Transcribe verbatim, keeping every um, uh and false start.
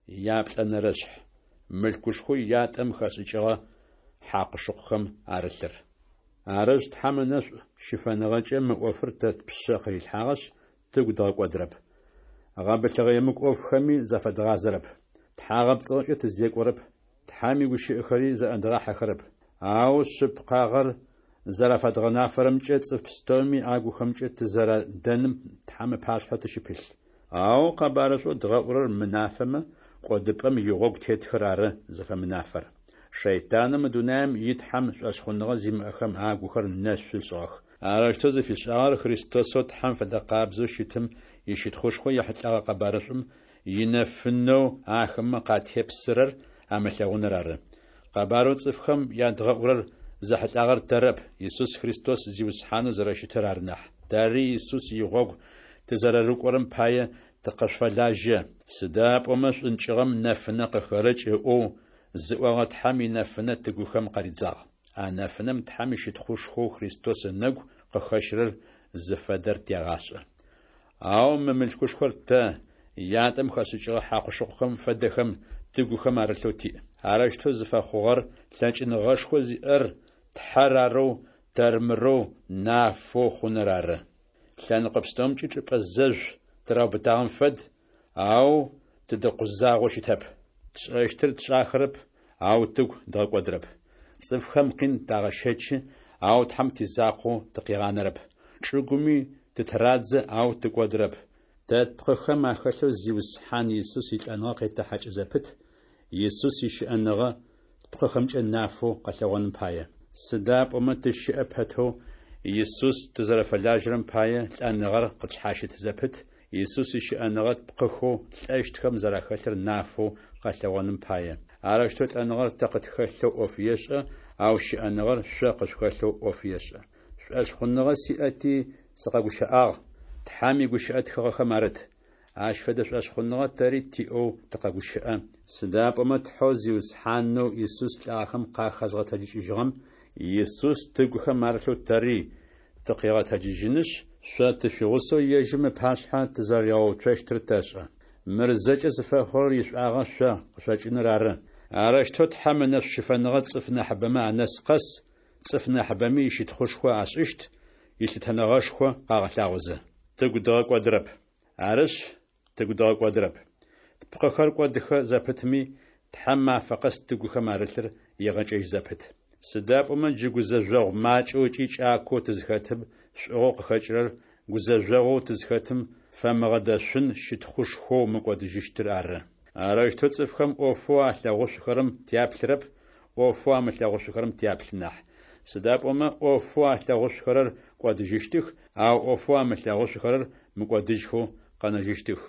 Яплӏэнэрэшъхь, мылъкушхоу ятӏэм хэшӏыкӏыгъэ хьакъу-шыкъухэм арылъыр. Арышъ, Тхьэм ынэшӏу щыфэныгъэкӏэ мы ӏофыр тэ тпшъэ къырилъхьагъэшъ, тыгу дгъэкӏодырэп. Гъэбылъыгъэ емыкӏу ӏофхэми зафэдгъазэрэп. Тхьагъэпцӏыгъэкӏэ тызекӏорэп, Тхьэм игущыӏэхэри зэӏэдгъахьэхэрэп. Ау шъыпкъагъэр зэрафэдгъэнафэрэмкӏэ цӏыф пстэуми агухэмкӏэ тызэрадэным Тхьэм ыпашъхьэ тыщыпылъ. Ау къэбарышӏоу дгъэӏурэр мынафэмэ, кӏодыпӏэм игъогу тетхэр ары зыфэмынафэр. Шэйтанэу мы дунаем итхьэм шӏошъхъуныгъэ зимыӏэхэм агухэр нэшъу ышӏыгъэх. Арэущтэу зыфишӏагъэр Христосэу Тхьэм фэдэкъабзэу щытым ищытхъушхо ехьылӏэгъэ къэбарышӏум инэфынэу ахэмэ къатепсырэр амылъэгъуныр ары. Къэбарэу цӏыфхэм ядгъэӏурэр зэхьылӏагъэр тэрэп, Исус Христос Зиусхьанэу зэрэщытыр ары нахь. Тэри Исус игъогу тызэрэрыкӏорэм пае тыкъышъуфэлажьэ. Сыда пӏомэ Шӏункӏыгъэм нэфынэ къыхерэкӏ ыӏоу зыӏогъэ Тхьэм инэфынэ тыгухэм къаридзагъ. А нэфынэм Тхьэм ищытхъушхоу Христос ынэгу къыхэщырэр зыфэдэр тегъашӏэ. Ау мы мылъкушхор тэ, ятӏэм хэшӏыкӏыгъэ хьакъу-шыкъухэм фэдэхэм, тыгухэм арылъэу тиӏ. Арэущтэу зыфэхъугъэр лъэкӏыныгъэшхо зиӏэр Тхьэр арэу, тэрмырэу нафэу хъуныр ары. Лъэныкъо пстэумкӏи чӏыпӏэ зэжъу тыраубытагъэм фэд, ау тыдэкъузагъэу щытэп. Тшӏэщтыр тшӏахэрэп, ау тыгу дгъэкӏодырэп. Цӏыфхэм къин тагъэщэчы, ау Тхьэм тизакъоу тыкъигъанэрэп. Чӏыгуми тытырадзэ, ау тыкӏодырэп. Тэ тпкъыхэм ахэлъэу Зиусхьан Исус илӏэныгъэ къетэхьакӏы зэпыт, Исус ищыӏэныгъэ тпкъыхэмкӏэ нафэу къэлъэгъоным пае. Сыда пӏомэ тыщыӏэ пэтэу, Исус тызэрэфэлажьэрэм пае, лӏэныгъэр къытшъхьащыт зэпыт, Исус ищыӏэныгъэ тпкъыхэу лӏэщтхэм зэрахэлъыр нафэу къэлъэгъоным пае. Арэущтэу лӏэныгъэр тэ къытхэлъэу ӏоф ешӏэ, ау щыӏэныгъэр шъо къышъухэлъэу ӏоф ешӏэ. Шӏошъхъуныгъэ сиӏэти, сыкъэгущыӏагъ, Тхьэм игущыӏэ тхыгъэхэм арыт. Ащ фэдэ шӏошъхъуныгъэ тэри тиӏэу тыкъэгущыӏэ, сыда пӏомэ Тхьэу Зиусхьанэу Исус лӏагъэхэм къахэзгъэтэджыкӏыжьыгъэм Исус тыгухэм арылъэу тэри тыкъигъэтэджыжьынышъ, шъо тышъуигъусэу ежьым ыпашъхьэ тызэрэригъэуцощтыр тэшӏэ. Мыр зэкӏэ зыфэхъурэр ишӏуагъэ шъо къышъокӏыныр ары. Арэущтэу Тхьэм ынэшӏу щыфэныгъэ цӏыф нахьыбэмэ анэс къэс, цӏыф нахьыбэми ищытхъушхо ашӏыщт, илъытэныгъэшхо къагъэлъагъозэ. Тыгу дгъэкӏодырэп. Арышъ, тыгу дгъэкӏодырэп. Тпкъыхэр кӏодыхэ зэпытми, Тхьэм мафэ къэс тыгухэм арылъыр егъэкӏэжь зэпыт. Сыда пӏомэ джы гузэжъогъу макӏэу ыкӏи кӏакоу тызхэтым шӏугъэу къыхэкӏырэр гузэжъогъоу тызхэтым фэмыгъэдэшъун щытхъушхоу мыкӏодыжьыщтыр ары. Арэущтэу цӏыфхэм ӏофэу алъэгъушъухэрэм тяплъырэп, ӏофэу амылъэгъушъухэрэм тяплъы нахь. Сыда пӏомэ ӏофэу алъэгъушъухэрэр кӏодыжьыщтых, ау ӏофэу амылъэгъушъухэрэр мыкӏодыжьхэу къэнэжьыщтых.